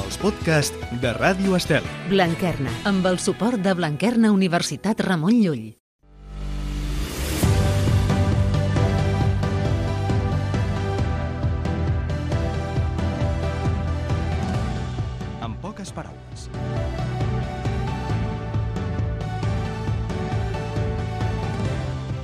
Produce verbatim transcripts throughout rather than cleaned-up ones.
els podcasts de Ràdio Estel. Blanquerna, amb el suport de Blanquerna Universitat Ramon Llull. En poques paraules.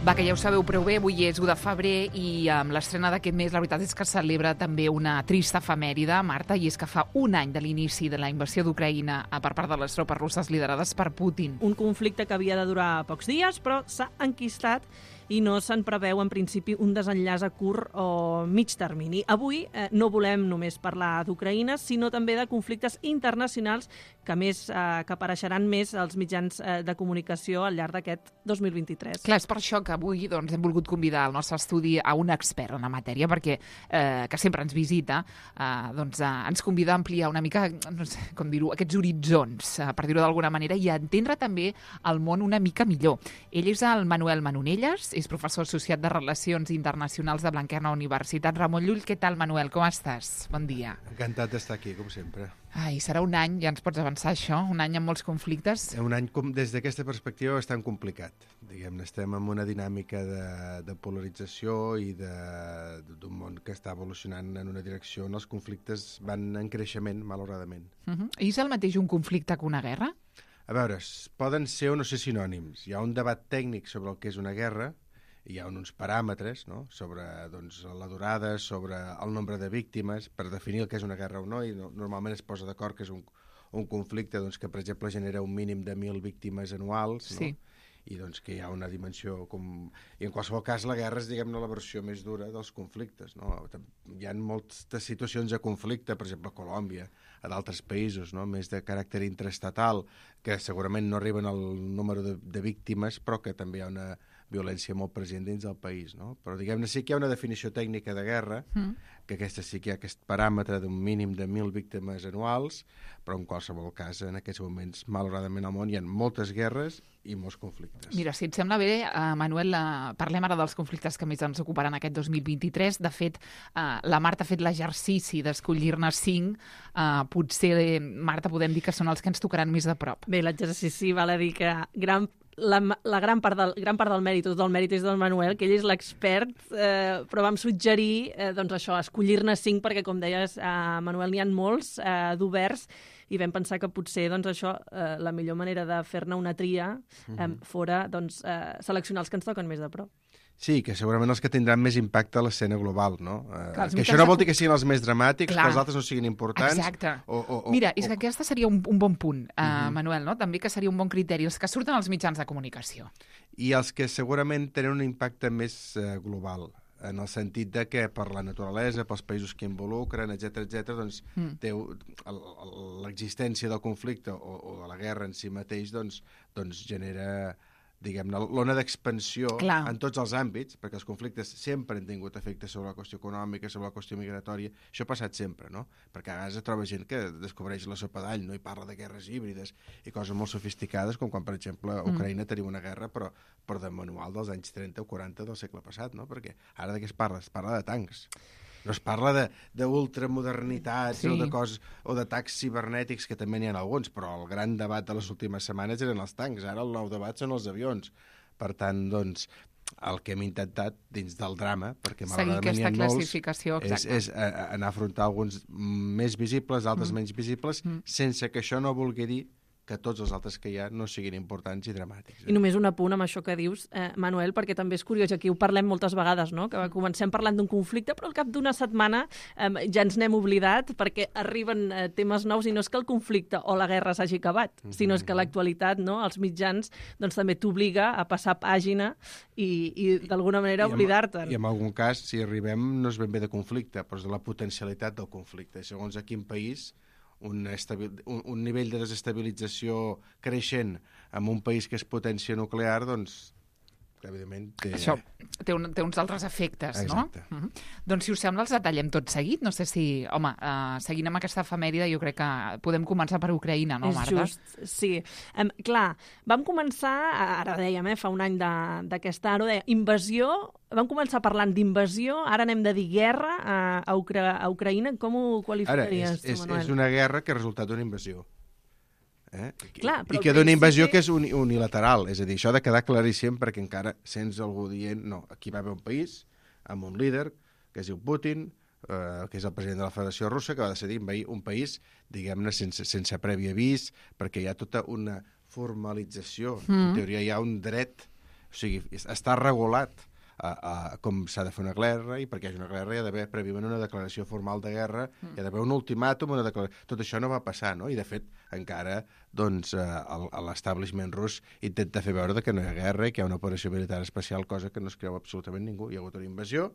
Va, que ja ho sabeu prou bé, avui és u de febrer i amb l'estrena d'aquest mes la veritat és que celebra també una trista efemèride, Marta, i és que fa un any de l'inici de la invasió d'Ucraïna per part de les tropes russes liderades per Putin. Un conflicte que havia de durar pocs dies, però s'ha enquistat i no se'n preveu en principi un desenllaç a curt o mig termini. Avui eh, no volem només parlar d'Ucraïna, sinó també de conflictes internacionals que més eh, que apareixeran més als mitjans eh, de comunicació al llarg d'aquest dos mil vint-i-tres. Clar, és per això que avui doncs, hem volgut convidar al nostre estudi a un expert en la matèria, perquè eh, que sempre ens visita, eh, doncs, eh, ens convida a ampliar una mica, no sé com dir-ho, aquests horitzons, eh, per dir-ho d'alguna manera, i a entendre també el món una mica millor. Ell és el Manuel Manonelles, és professor associat de Relacions Internacionals de Blanquerna Universitat Ramon Llull. Què tal, Manuel? Com estàs? Bon dia. Encantat d'estar aquí, com sempre. Ai, serà un any, ja ens pots avançar això, un any amb molts conflictes. Un any, com, des d'aquesta perspectiva, bastant complicat. Diguem-ne, estem en una dinàmica de, de polarització i d'un món que està evolucionant en una direcció on els conflictes van en creixement, malauradament. Uh-huh. I és el mateix un conflicte que una guerra? A veure, poden ser o no ser sinònims. Hi ha un debat tècnic sobre el que és una guerra, hi ha uns paràmetres, no?, sobre doncs, la durada, sobre el nombre de víctimes, per definir el que és una guerra o no, i no, normalment es posa d'acord que és un, un conflicte doncs, que, per exemple, genera un mínim de mil víctimes anuals, sí. no? I doncs que hi ha una dimensió com... I en qualsevol cas la guerra és, diguem-ne, la versió més dura dels conflictes, no? Hi ha moltes situacions de conflicte, per exemple, a Colòmbia, a d'altres països, no?, més de caràcter intraestatal, que segurament no arriben al número de, de víctimes, però que també hi ha una violència molt present dins del país, no? Però, diguem-ne, sí que hi ha una definició tècnica de guerra, mm. que aquesta sí que hi ha aquest paràmetre d'un mínim de mil víctimes anuals, però en qualsevol cas, en aquests moments, malauradament al món, hi ha moltes guerres i molts conflictes. Mira, si et sembla bé, uh, Manuel, uh, parlem ara dels conflictes que més ens ocuparan aquest dos mil vint-i-tres. De fet, uh, la Marta ha fet l'exercici d'escollir-ne cinc. Uh, potser, Marta, podem dir que són els que ens tocaran més de prop. Bé, l'exercici val a dir que gran La, la gran, part del, gran part del mèrit, tot el mèrit és del Manuel, que ell és l'expert, eh, però vam suggerir eh, doncs això, escollir-ne cinc, perquè, com deies, eh, Manuel, n'hi ha molts eh, d'oberts, i vam pensar que potser doncs, això, eh, la millor manera de fer-ne una tria eh, fora doncs, eh, seleccionar els que ens toquen més de prop. Sí, que segurament els que tindran més impacte a l'escena global, no? Clar, que això no vol dir que siguin els més dramàtics, Clar. que els altres no siguin importants. Exacte. O, o, o, Mira, és que o... aquesta seria un, un bon punt, uh, uh-huh. Manuel, no? També que seria un bon criteri, els que surten als mitjans de comunicació. I els que segurament tenen un impacte més uh, global, en el sentit de que per la naturalesa, pels països que involucren, etcètera, etcètera, doncs mm. té l'existència del conflicte o, o de la guerra en si mateix doncs, doncs genera, diguem-ne, l'ona d'expansió en tots els àmbits, perquè els conflictes sempre han tingut efectes sobre la qüestió econòmica, sobre la qüestió migratòria. Això ha passat sempre, no? Perquè a vegades troba gent que descobreix la sopa d'all, no? I parla de guerres híbrides i coses molt sofisticades, com quan, per exemple, a Ucraïna mm. tenim una guerra, però, però de manual dels anys trenta o quaranta del segle passat, no? Perquè ara de què es parla? Es parla de tancs. No es parla d'ultramodernitats sí. o de coses o d'atacs cibernètics, que també n'hi ha alguns, però el gran debat de les últimes setmanes eren els tancs. Ara el nou debat són els avions. Per tant, doncs, el que hem intentat dins del drama, perquè malauradament n'hi ha molts, és, és anar a afrontar alguns més visibles, altres mm. menys visibles, mm. sense que això no vulgui dir que tots els altres que hi ha no siguin importants i dramàtics. Eh? I només un apunt amb això que dius, eh, Manuel, perquè també és curiós, aquí ho parlem moltes vegades, no? Que comencem parlant d'un conflicte, però al cap d'una setmana eh, ja ens n'hem oblidat perquè arriben eh, temes nous, i no és que el conflicte o la guerra s'hagi acabat, mm-hmm. sinó és que l'actualitat, no, els mitjans, doncs també t'obliga a passar pàgina i, i d'alguna manera oblidar-te'n. I en algun cas, si arribem, no és ben bé de conflicte, però és de la potencialitat del conflicte. Segons a quin país Un, estabil, un, un nivell de desestabilització creixent en un país que és potència nuclear, doncs que evidentment té... Això té, un, té uns altres efectes, Exacte. no? Mm-hmm. Doncs, si us sembla, els detallem tot seguit. No sé si... Home, uh, seguint amb aquesta efemèride, jo crec que podem començar per Ucraïna, no, És Marta? just, sí. Um, clar, vam començar, ara dèiem, eh, fa un any d'aquesta ara, deia, invasió, vam començar parlant d'invasió, ara anem de dir guerra a, a, Ucra a Ucraïna. Com ho qualificaries, ara, és, és, tu, Manuel? és una guerra que ha resultat d'una invasió. Eh? Clar, I que al d'una invasió principi- que és uni unilateral, és a dir, això ha de quedar claríssim perquè encara sents algú dient, no, aquí va haver un país amb un líder que es diu Putin, eh, que és el president de la Federació Russa, que va decidir envair un país, diguem-ne, sense, sense previ avís, perquè hi ha tota una formalització, mm. en teoria hi ha un dret, o sigui, està regulat a, a com s'ha de fer una guerra, i perquè hi hagi una guerra hi ha d'haver prèviament una declaració formal de guerra, mm. hi ha d'haver un ultimàtum, una declaració... Tot això no va passar, no? I de fet, encara, doncs, eh, l'establishment rus intenta fer veure que no hi ha guerra i que hi ha una operació militar especial, cosa que no es creu absolutament ningú. Hi ha hagut una invasió,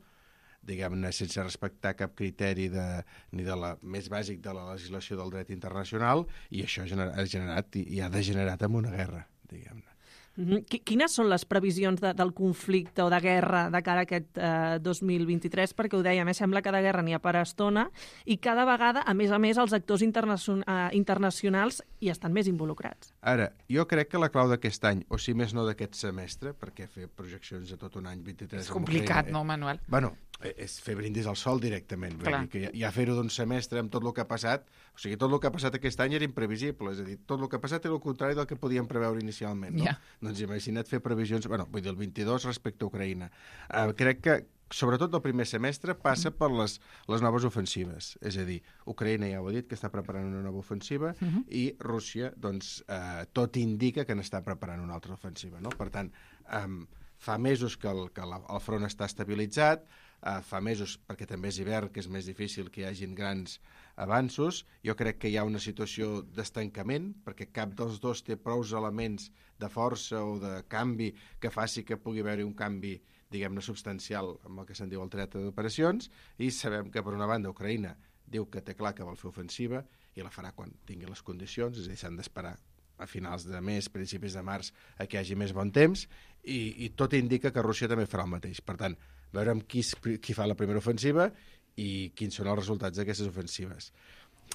diguem-ne, sense respectar cap criteri de, ni de la més bàsic de la legislació del dret internacional, i això ha generat, ha generat i, i ha degenerat en una guerra, diguem-ne. Mm-hmm. Quines són les previsions de, del conflicte o de guerra de cara a aquest eh, dos mil vint-i-tres? Perquè ho dèiem, eh, sembla que de guerra n'hi ha per estona i cada vegada, a més a més, els actors internacion eh, internacionals hi estan més involucrats. Ara, jo crec que la clau d'aquest any, o si més no d'aquest semestre, perquè fer projeccions de tot un any vint-i-tres... És complicat, Ucraïna, no, Manuel? Bueno, és fer brindis al sol directament. Vull dir que ja, ja fer-ho d'un semestre amb tot el que ha passat, o sigui, tot el que ha passat aquest any era imprevisible, és a dir, tot el que ha passat era el contrari del que podíem preveure inicialment, no? Yeah. Doncs imagina't fer previsions, bueno, vull dir, el vint-i-dos respecte a Ucraïna. Uh, crec que, sobretot el primer semestre, passa per les, les noves ofensives. És a dir, Ucraïna ja ho ha dit, que està preparant una nova ofensiva, uh -huh. i Rússia, doncs, uh, tot indica que n'està preparant una altra ofensiva, no? Per tant, um, fa mesos que el, que la, el front està estabilitzat, uh, fa mesos, perquè també és hivern, que és més difícil que hi hagin grans avanços. Jo crec que hi ha una situació d'estancament, perquè cap dels dos té prous elements de força o de canvi que faci que pugui haver-hi un canvi, diguem-ne, substancial amb el que se'n diu el teatre d'operacions, i sabem que, per una banda, Ucraïna diu que té clar que vol fer ofensiva i la farà quan tingui les condicions, és a dir, s'han d'esperar a finals de mes, principis de març, a que hi hagi més bon temps, i, i tot indica que Rússia també farà el mateix. Per tant, veurem qui, qui fa la primera ofensiva i quins són els resultats d'aquestes ofensives.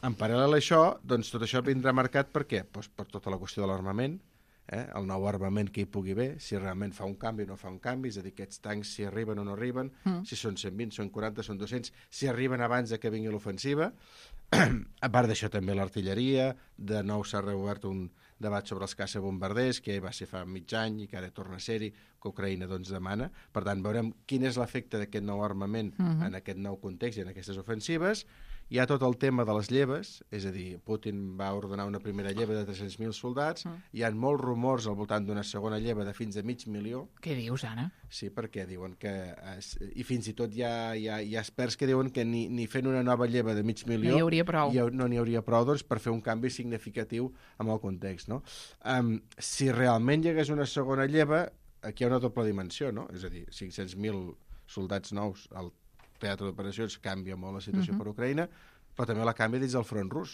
En paral·lel a això, doncs tot això vindrà marcat per què? Pues per tota la qüestió de l'armament, eh? El nou armament que hi pugui haver, si realment fa un canvi o no fa un canvi, és a dir, aquests tancs si arriben o no arriben, mm. si són cent vint, són quaranta, són dos-cents, si arriben abans de que vingui l'ofensiva. A part d'això també l'artilleria, de nou s'ha reobert un debat sobre els caça-bombarders, que va ser fa mig any i que ara torna a ser-hi, que Ucraïna doncs demana. Per tant, veurem quin és l'efecte d'aquest nou armament mm-hmm. en aquest nou context i en aquestes ofensives. Hi ha tot el tema de les lleves, és a dir, Putin va ordenar una primera lleva de tres-cents mil soldats, mm. hi ha molts rumors al voltant d'una segona lleva de fins a mig milió. Què dius, Anna? Sí, perquè diuen que... I fins i tot hi ha, hi ha, hi ha experts que diuen que ni, ni fent una nova lleva de mig milió... No hi hauria prou. Hi ha, no n'hi hauria prou, doncs, per fer un canvi significatiu amb el context, no? Um, si realment hi hagués una segona lleva, aquí hi ha una doble dimensió, no? És a dir, cinc-cents mil soldats nous al teatre d'operacions canvia molt la situació uh-huh. per Ucraïna, però també la canvia dins del front rus.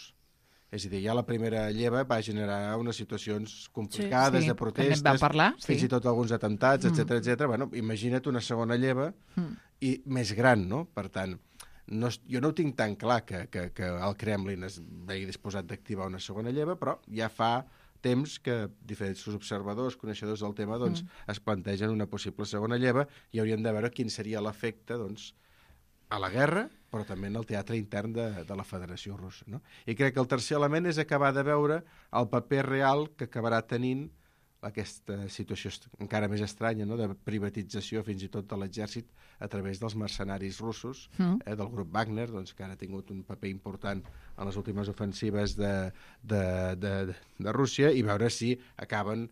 És a dir, ja la primera lleva va generar unes situacions complicades, sí, sí. de protestes, vam parlar, sí. fins i tot alguns atentats, etcètera, etcètera. Bueno, imagina't una segona lleva mm. i més gran, no? Per tant, no, jo no ho tinc tan clar que, que, que el Kremlin es vegi disposat d'activar una segona lleva, però ja fa temps que diferents observadors, coneixedors del tema, doncs, mm. es plantegen una possible segona lleva i hauríem de veure quin seria l'efecte, doncs, a la guerra, però també en el teatre intern de, de la Federació Russa, no? I crec que el tercer element és acabar de veure el paper real que acabarà tenint aquesta situació encara més estranya, no?, de privatització fins i tot de l'exèrcit a través dels mercenaris russos, mm. eh, del grup Wagner, doncs, que ara ha tingut un paper important en les últimes ofensives de, de, de, de Rússia, i veure si acaben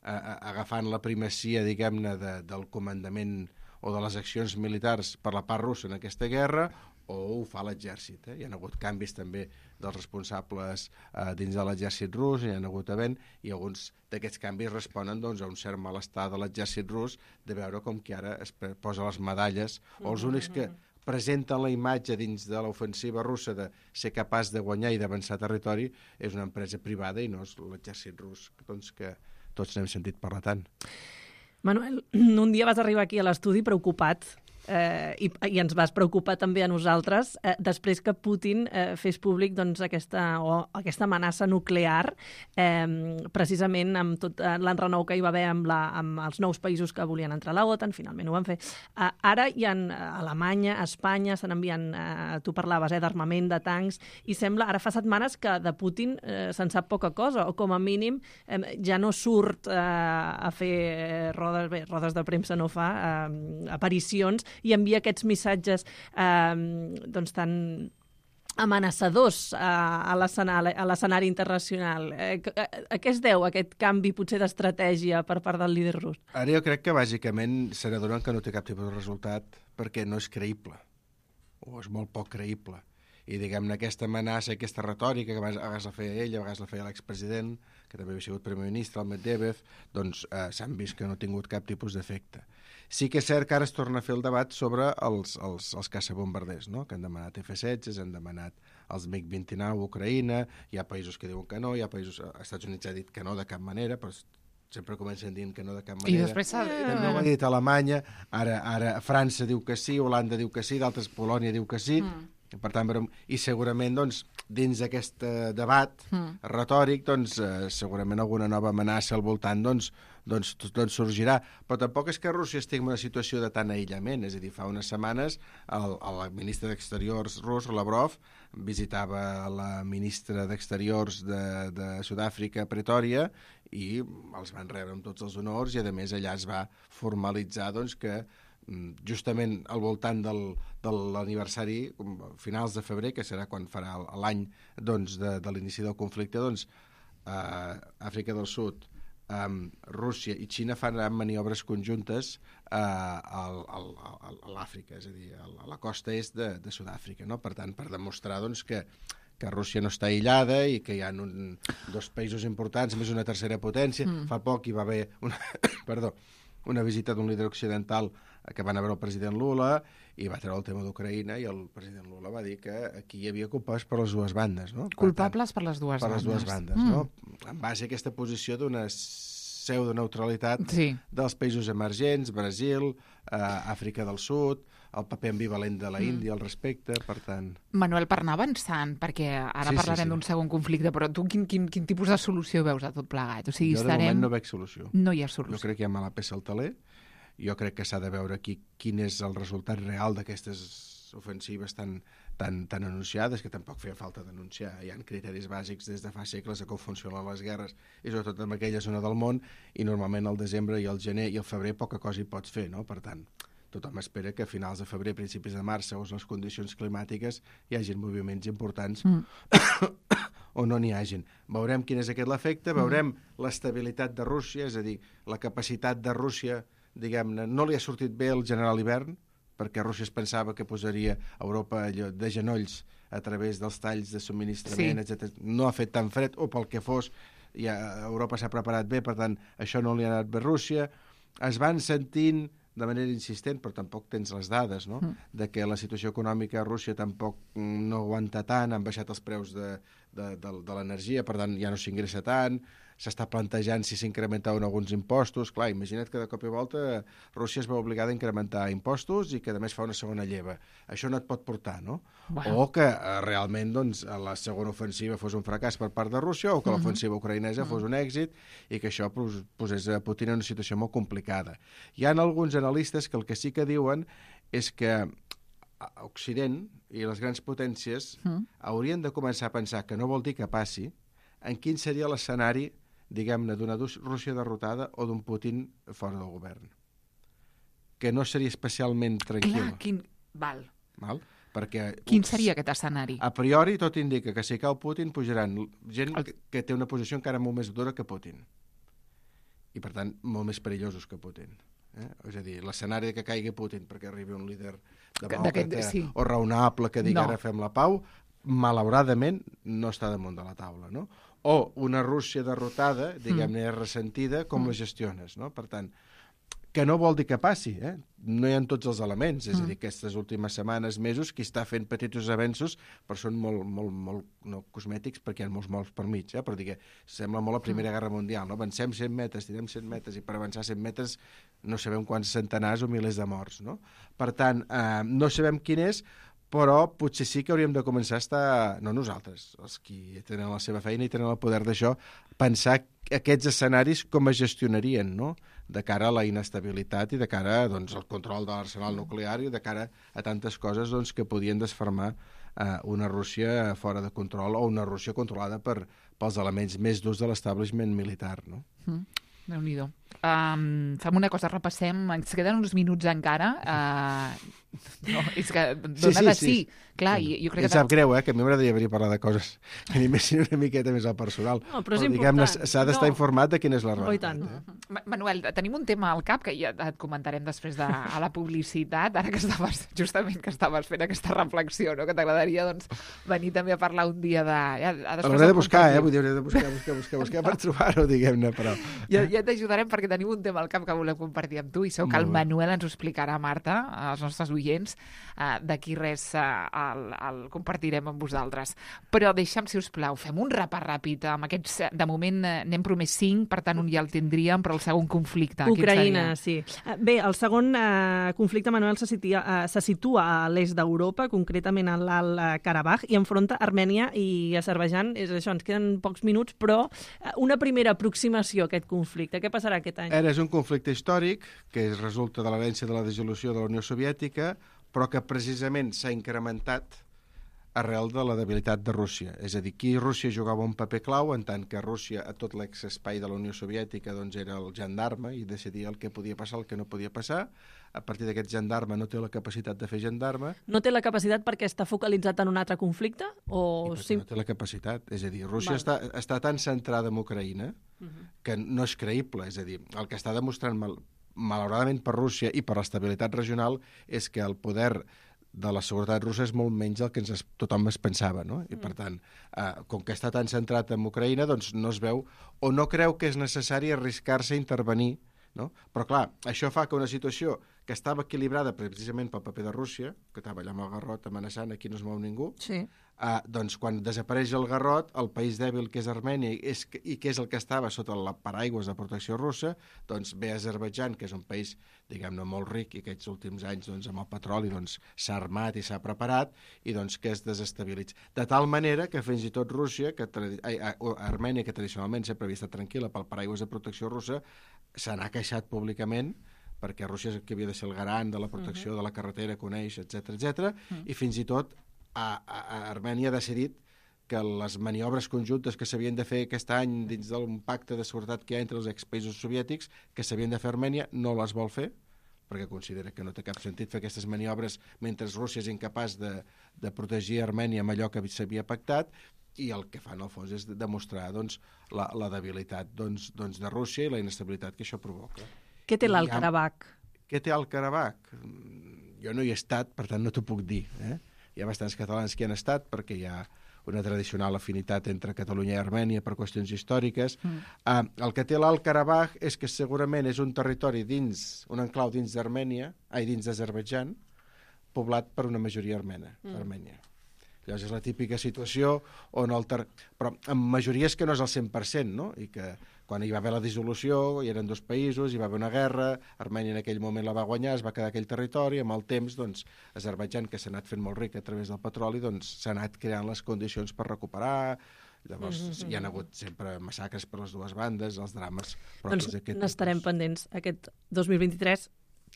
a, a, agafant la primacia, diguem-ne, de, del comandament o de les accions militars per la part russa en aquesta guerra, o ho fa l'exèrcit. Eh? Hi ha hagut canvis també dels responsables eh, dins de l'exèrcit rus, hi ha hagut havent, i alguns d'aquests canvis responen, doncs, a un cert malestar de l'exèrcit rus de veure com que ara es posa les medalles, o els únics que presenten la imatge dins de l'ofensiva russa de ser capaç de guanyar i d'avançar territori és una empresa privada i no és l'exèrcit rus, doncs, que tots n'hem sentit parlar tant. Manuel, un dia vas arribar aquí a l'estudi preocupat eh, i, i ens vas preocupar també a nosaltres eh, després que Putin eh, fes públic doncs, aquesta, o, aquesta amenaça nuclear eh, precisament amb tot eh, l'enrenou que hi va haver amb, la, amb els nous països que volien entrar a la OTAN, finalment ho van fer. Eh, ara hi ha a Alemanya, a Espanya, s'han enviant, eh, tu parlaves, eh, d'armament, de tancs, i sembla, ara fa setmanes que de Putin eh, se'n sap poca cosa, o com a mínim eh, ja no surt eh, a fer rodes, bé, rodes de premsa no fa, eh, aparicions, i envia aquests missatges eh, doncs tan amenaçadors a, a l'escenari internacional. Eh, a, a què es deu aquest canvi potser d'estratègia per part del líder rus? Ara jo crec que bàsicament se n'adonen que no té cap tipus de resultat perquè no és creïble, o és molt poc creïble. I, diguem-ne, aquesta amenaça, aquesta retòrica, que a vegades la feia ell, a vegades la feia l'expresident, que també havia sigut primer ministre, el Medvedev, doncs eh, s'han vist que no ha tingut cap tipus d'efecte. Sí que és cert que ara es torna a fer el debat sobre els, els, els caçabombarders, no? Que han demanat F setze, han demanat els mig vint i nou a Ucraïna, hi ha països que diuen que no, hi ha països... Els Estats Units ha dit que no de cap manera, però sempre comencen dient que no de cap manera. I després s'ha... També ho ha dit Alemanya, ara, ara França diu que sí, Holanda diu que sí, d'altres Polònia diu que sí, mm. Per tant, i segurament doncs, dins d'aquest debat mm. retòric doncs, eh, segurament alguna nova amenaça al voltant doncs, doncs, doncs sorgirà. Però tampoc és que Rússia estigui en una situació de tant aïllament. És a dir, fa unes setmanes el, el ministre d'Exteriors rus, Lavrov, visitava la ministra d'Exteriors de, de Sud-àfrica, Pretòria, i els van rebre amb tots els honors i, a més, allà es va formalitzar doncs, que justament al voltant del, de l'aniversari, finals de febrer, que serà quan farà l'any doncs, de, de l'inici del conflicte, doncs, eh, Àfrica del Sud, eh, Rússia i Xina fan maniobres conjuntes eh, al, al, a l'Àfrica, és a dir, a la costa est de, de Sud-àfrica, no? Per tant, per demostrar doncs, que que Rússia no està aïllada i que hi ha un, dos països importants, més una tercera potència. Mm. Fa poc hi va haver una, perdó, una visita d'un líder occidental que van a veure el president Lula i va treure el tema d'Ucraïna i el president Lula va dir que aquí hi havia culpables per les dues bandes. No? Per Culpables tant, per les dues per bandes. Per les dues bandes, mm. no? En base a aquesta posició d'una pseudo-neutralitat sí. dels països emergents, Brasil, eh, Àfrica del Sud, el paper ambivalent de la Índia mm. al respecte, per tant... Manuel, per anar avançant, perquè ara sí, parlarem sí, sí. d'un segon conflicte, però tu quin, quin, quin tipus de solució veus a tot plegat? O sigui, jo de estarem... moment no veig solució. No hi ha solució. Jo crec que hi ha mala peça al taler, jo crec que s'ha de veure aquí quin és el resultat real d'aquestes ofensives tan, tan, tan anunciades, que tampoc feia falta denunciar. Hi ha criteris bàsics des de fa segles de com funcionen les guerres, i sobretot en aquella zona del món, i normalment al desembre i al gener i al febrer poca cosa hi pots fer, no? Per tant, tothom espera que a finals de febrer, principis de març, segons les condicions climàtiques, hi hagin moviments importants mm. o no n'hi hagin. Veurem quin és aquest l'efecte, veurem mm. l'estabilitat de Rússia, és a dir, la capacitat de Rússia, diguem-ne, no li ha sortit bé el general hivern, perquè Rússia es pensava que posaria Europa allò, de genolls a través dels talls de subministrament, sí. etcètera. No ha fet tan fred, o pel que fos, ja Europa s'ha preparat bé, per tant, això no li ha anat bé a Rússia. Es van sentint de manera insistent, però tampoc tens les dades, no? Mm. de que la situació econòmica a Rússia tampoc no aguanta tant, han baixat els preus de, de, de, de l'energia, per tant ja no s'ingressa tant, s'està plantejant si s'incrementaven alguns impostos. Clar, imagina't que de cop i volta Rússia es va obligada a incrementar impostos i que a més fa una segona lleva. Això no et pot portar, no? Bueno. O que eh, realment doncs, la segona ofensiva fos un fracàs per part de Rússia o que uh-huh. l'ofensiva ucraïnesa uh-huh. fos un èxit i que això pos, posés a Putin en una situació molt complicada. Hi ha alguns analistes que el que sí que diuen és que Occident i les grans potències uh-huh. haurien de començar a pensar, que no vol dir que passi, en quin seria l'escenari, diguem-ne, d'una Rússia derrotada o d'un Putin fora del govern. Que no seria especialment tranquil. Clar, quin... Val. Val? Perquè, quin seria aquest escenari? A priori tot indica que si cau Putin pujaran gent el... que té una posició encara molt més dura que Putin. I, per tant, molt més perillosos que Putin. Eh? És a dir, l'escenari que caigui Putin perquè arribi un líder demòcrata sí. o raonable que digui no. ara fem la pau, malauradament no està damunt de la taula, no? O una Rússia derrotada, diguem-ne, mm. ressentida, com mm. la gestiones, no? Per tant, que no vol dir que passi, eh? No hi ha tots els elements, és Mm. a dir, aquestes últimes setmanes, mesos, qui està fent petits avenços, però són molt, molt, molt no cosmètics, perquè hi ha molts morts per mig, eh? Però digue, sembla molt la Primera Guerra Mundial, no? Avancem cent metres, tirem cent metres, i per avançar cent metres no sabem quants centenars o milers de morts, no? Per tant, eh, no sabem quin és, però potser sí que hauríem de començar a estar, no nosaltres, els qui tenen la seva feina i tenen el poder d'això, pensar aquests escenaris com es gestionarien, no?, de cara a la inestabilitat i de cara, doncs, al control de l'arsenal nuclear i de cara a tantes coses, doncs, que podien desfermar eh, una Rússia fora de control o una Rússia controlada per, pels elements més durs de l'establishment militar, no? Mm. Déu-n'hi-do. Um, fem una cosa, repassem, ens queden uns minuts encara. Uh, no, és que dona Sí, sí, de sí. sí. Clar, i, jo crec Em que... sap greu, eh, que a mi m'agradaria venir a parlar de coses que animessin una miqueta més al personal. No, però és diguem-ne, important. s'ha d'estar No. informat de quina és la Oh, i tant. realitat. Eh? Ma- Manuel, tenim un tema al cap que ja et comentarem després de a la publicitat, ara que estaves, justament que estaves fent aquesta reflexió, no? Que t'agradaria doncs, venir també a parlar un dia de... Ja, a després L'hauré de el buscar, eh? compartim. Vull dir, hauré de buscar, buscar, buscar, buscar per trobar-ho, diguem-ne, però... Ja, ja t'ajudarem perquè tenim un tema al cap que volem compartir amb tu i segur que el Molt bé. Manuel ens ho explicarà, Marta, als nostres oients. Uh, D'aquí res uh, el, el compartirem amb vosaltres. Però deixa'm, si us plau, fem un repàs ràpid amb aquests... eh, De moment eh, n'hem promès cinc, per tant un ja el tindríem, però el segon conflicte. quin Ucraïna, seria? sí. Eh, Bé, el segon eh, conflicte, Manuel, se situa, eh, se situa a l'est d'Europa, concretament a l'Alt eh, Karabakh, i enfronta Armènia i Azerbaidjan. És això, ens queden pocs minuts, però eh, una primera aproximació a aquest conflicte. Què passarà aquest any? Era és un conflicte històric que resulta de l'herència de la dissolució de la Unió Soviètica, però que precisament s'ha incrementat arrel de la debilitat de Rússia. És a dir, aquí Rússia jugava un paper clau, en tant que Rússia, a tot l'exespai de la Unió Soviètica, doncs era el gendarme i decidia el que podia passar, el que no podia passar. A partir d'aquest gendarme no té la capacitat de fer gendarme, No té la capacitat perquè està focalitzat en un altre conflicte? O i perquè sim... no té la capacitat. És a dir, Rússia Val. està, està tan centrada en Ucraïna que no és creïble. És a dir, el que està demostrant, mal, malauradament per Rússia i per l'estabilitat regional, és que el poder de la seguretat russa és molt menys del que ens es, tothom es pensava, no? I, per tant, eh, com que està tan centrat en Ucraïna, doncs no es veu, o no creu que és necessari arriscar-se a intervenir, no? Però, clar, això fa que una situació que estava equilibrada precisament pel paper de Rússia, que estava allà amb el garrot amenaçant, aquí no es mou ningú, Sí. Uh, doncs quan desapareix el garrot, el país dèbil que és Armènia i, és, i que és el que estava sota la paraigües de protecció russa, doncs ve Azerbaidjan, que és un país, diguem-ne, molt ric i aquests últims anys doncs, amb el petroli doncs, s'ha armat i s'ha preparat i doncs que es desestabilitza. De tal manera que fins i tot Rússia, que tradi... ai, a, a Armènia, que tradicionalment sempre havia estat tranquil·la pel paraigües de protecció russa, se n'ha queixat públicament perquè Rússia és el que havia de ser el garant de la protecció uh -huh. de la carretera que uneix, etcètera etcètera, uh -huh. i fins i tot A, a, a Armènia ha decidit que les maniobres conjuntes que s'havien de fer aquest any dins d'un pacte de seguretat que hi ha entre els expaïsos soviètics, que s'havien de fer a Armènia, no les vol fer, perquè considera que no té cap sentit fer aquestes maniobres mentre Rússia és incapaç de, de protegir Armènia amb allò que s'havia pactat, i el que fan al fons és demostrar doncs, la, la debilitat doncs, doncs, de Rússia i la inestabilitat que això provoca. Què té l'Alt I ha- Karabakh? Què té el Karabakh? Jo no hi he estat, per tant no t'ho puc dir, eh? Hi ha bastants catalans que hi han estat perquè hi ha una tradicional afinitat entre Catalunya i Armènia per qüestions històriques. Mm. Uh, el que té l'Alt Karabakh és que segurament és un territori dins, un enclau dins d'Armènia, ai, dins d'Azerbaidjan, poblat per una majoria armena, mm. Armènia. Llavors és la típica situació on el ter... però amb majories que no és el cent per cent, no? I que quan hi va haver la dissolució, hi eren dos països, hi va haver una guerra, Armènia en aquell moment la va guanyar, es va quedar aquell territori, amb el temps, doncs, Azerbaidjan, que s'ha anat fent molt ric a través del petroli, doncs s'ha anat creant les condicions per recuperar, llavors mm-hmm. hi ha hagut sempre massacres per les dues bandes, els drames propis Doncs d'aquest n'estarem tipus. pendents aquest dos mil vint-i-tres.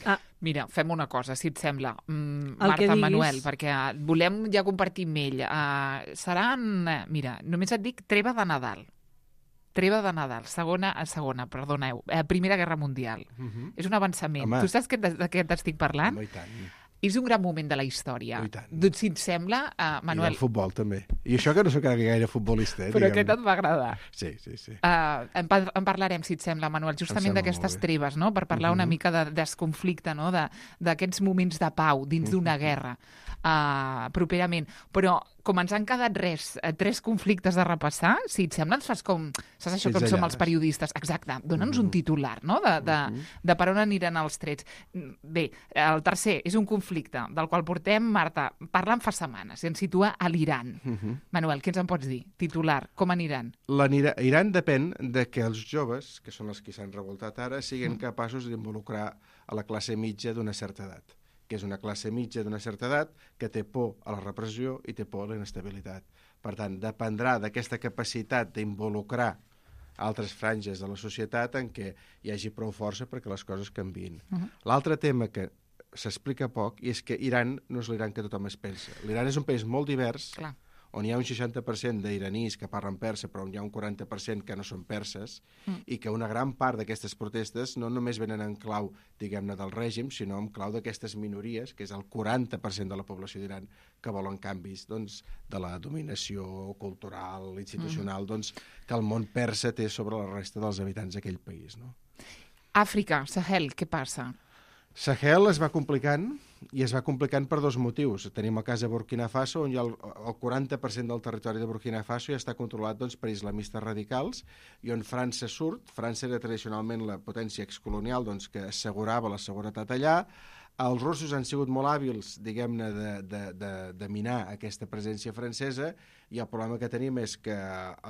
Ah, Mira, fem una cosa, si et sembla, mm, El que Marta, diguis. Manuel, perquè volem ja compartir amb ell. Uh, seran, eh, mira, només et dic treva de Nadal. Treva de Nadal, segona, eh, segona, perdoneu, eh, Primera Guerra Mundial. Mhm. És un avançament. Home. Tu saps que, de, de què t'estic parlant? Home, i tant. És un gran moment de la història. Oh, i tant. Doncs, si et sembla, uh, I Manuel, del futbol, també. I això que no sóc gaire futbolista, eh? però diguem-ne. aquest et va agradar. Sí, sí, sí. Uh, en, pa- en parlarem, si et sembla, Manuel, justament sembla d'aquestes molt bé. treves, no? Per parlar una Mhm. mica de desconflicte, no? De- d'aquests moments de pau dins d'una guerra uh, properament. Però com ens han quedat res, eh, tres conflictes de repassar, si et sembla, ens fas com... Saps això, com som els periodistes? Exacte, dona'ns mm-hmm. un titular, no?, de, de, mm-hmm. de per on aniran els trets. Bé, el tercer és un conflicte del qual portem, Marta, parlant fa setmanes, i ens situa a l'Iran. Mm-hmm. Manuel, què ens en pots dir? Titular, com aniran? L'Iran depèn de que els joves, que són els que s'han revoltat ara, siguin mm. capaços d'involucrar a la classe mitja d'una certa edat, que és una classe mitja d'una certa edat que té por a la repressió i té por a la inestabilitat. Per tant, dependrà d'aquesta capacitat d'involucrar altres franges de la societat en què hi hagi prou força perquè les coses canviïn. Uh-huh. L'altre tema que s'explica poc i és que Iran no és l'Iran que tothom es pensa. L'Iran és un país molt divers, clar, on hi ha un seixanta per cent d'iranis que parlen persa, però on hi ha un quaranta per cent que no són perses, mm. i que una gran part d'aquestes protestes no només venen en clau, diguem-ne, del règim, sinó en clau d'aquestes minories, que és el quaranta per cent de la població d'Iran, que volen canvis, doncs, de la dominació cultural, institucional, mm. doncs, que el món persa té sobre la resta dels habitants d'aquell país, no? Àfrica, Sahel, què passa? Sahel es va complicant, i es va complicant per dos motius. Tenim el cas de Burkina Faso, on hi ha el, el quaranta per cent del territori de Burkina Faso ja està controlat doncs, per islamistes radicals, i on França surt. França era tradicionalment la potència excolonial doncs, que assegurava la seguretat allà. Els russos han sigut molt hàbils, diguem-ne, de, de, de, de minar aquesta presència francesa, i el problema que tenim és que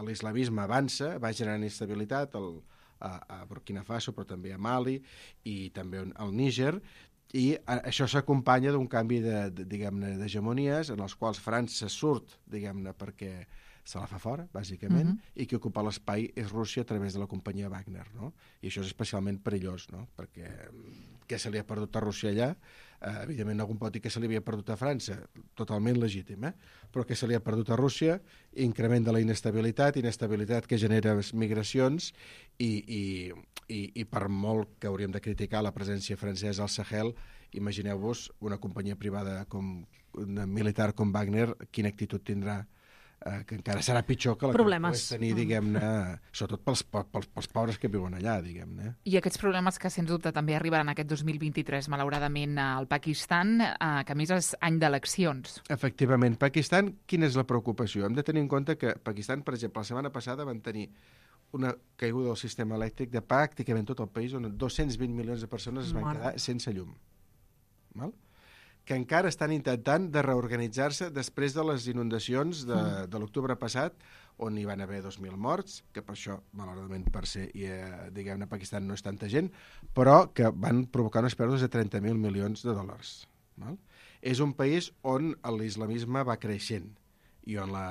l'islamisme avança, va generant instabilitat al, a, a Burkina Faso, però també a Mali i també al Níger, i això s'acompanya d'un canvi de, de, diguem-ne, d'hegemonies en els quals França surt, diguem-ne, perquè se la fa fora, bàsicament, uh-huh. i qui ocupa l'espai és Rússia a través de la companyia Wagner, no? I això és especialment perillós, no? Perquè què se li ha perdut a Rússia allà? Eh, evidentment, algun pot dir que se li havia perdut a França, totalment legítim, eh? Però que se li ha perdut a Rússia, increment de la inestabilitat, inestabilitat que genera migracions, i, i, i, i per molt que hauríem de criticar la presència francesa al Sahel, imagineu-vos una companyia privada com una militar com Wagner, quina actitud tindrà, eh, que encara serà pitjor que la problemes. que tenir, diguem-ne, sobretot pels, pels, pels pobres que viuen allà, diguem-ne. I aquests problemes que, sens dubte, també arribaran aquest dos mil vint-i-tres, malauradament, al Pakistan, eh, que a més és any d'eleccions. Efectivament. Pakistan, quina és la preocupació? Hem de tenir en compte que Pakistan, per exemple, la setmana passada van tenir una caiguda del sistema elèctric de pràcticament tot el país, on dos-cents vint milions de persones es van Mare. quedar sense llum. Val? Que encara estan intentant de reorganitzar-se després de les inundacions de, mm. de l'octubre passat, on hi van haver dos mil morts, que per això, malauradament, per ser, i, eh, diguem-ne, a Pakistan no és tanta gent, però que van provocar unes pèrdues de trenta mil milions de dòlars. Val? És un país on l'islamisme va creixent, i on la...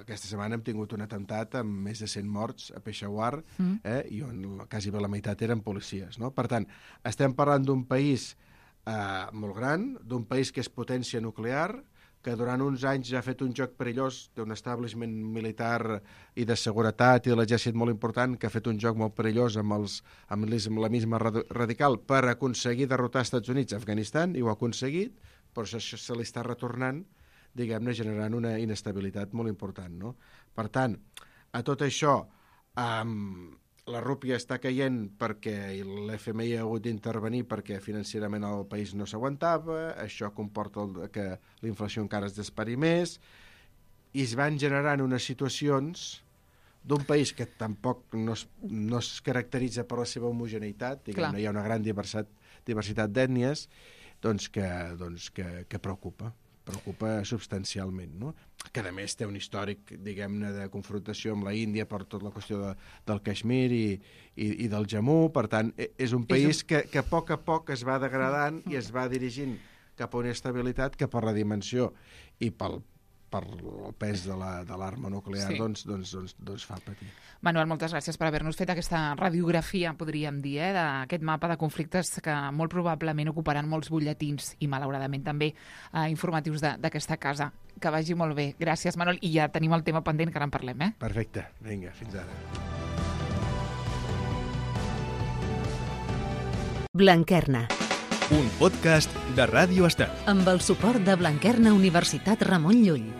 aquesta setmana hem tingut un atemptat amb més de cent morts a Peshawar, mm. eh, i on quasi bé la meitat eren policies. No? Per tant, estem parlant d'un país eh, molt gran, d'un país que és potència nuclear, que durant uns anys ha fet un joc perillós d'un establishment militar i de seguretat i de l'exèrcit molt important, que ha fet un joc molt perillós amb, els, amb l'islamisme radical per aconseguir derrotar els Estats Units a Afganistan, i ho ha aconseguit, però això se li està retornant, diguem-ne, generant una inestabilitat molt important, no? Per tant, a tot això, um, la rúpia està caient perquè l'F M I ha hagut d'intervenir perquè financerament el país no s'aguantava, això comporta el, que la inflació encara es dispari més, i es van generant unes situacions d'un país que tampoc no es, no es caracteritza per la seva homogeneïtat, diguem-ne, hi ha una gran diversitat, diversitat d'ètnies, doncs que, doncs que, que preocupa. preocupa substancialment, no? Que a més té un històric, diguem-ne, de confrontació amb la Índia per tota la qüestió de, del Caixmir i, i, i del Jammu. Per tant, és un país és un... Que, que a poc a poc es va degradant i es va dirigint cap a una estabilitat que per la dimensió i pel, per el pes de l'arma la, nuclear, sí. doncs, doncs, doncs, doncs fa patir. Manuel, moltes gràcies per haver-nos fet aquesta radiografia, podríem dir, eh, d'aquest mapa de conflictes que molt probablement ocuparan molts butlletins i, malauradament, també eh, informatius d'aquesta casa. Que vagi molt bé. Gràcies, Manuel. I ja tenim el tema pendent, que ara en parlem, eh? Perfecte. Vinga, fins ara. Blanquerna. Un podcast de Ràdio Estel. Amb el suport de Blanquerna Universitat Ramon Llull.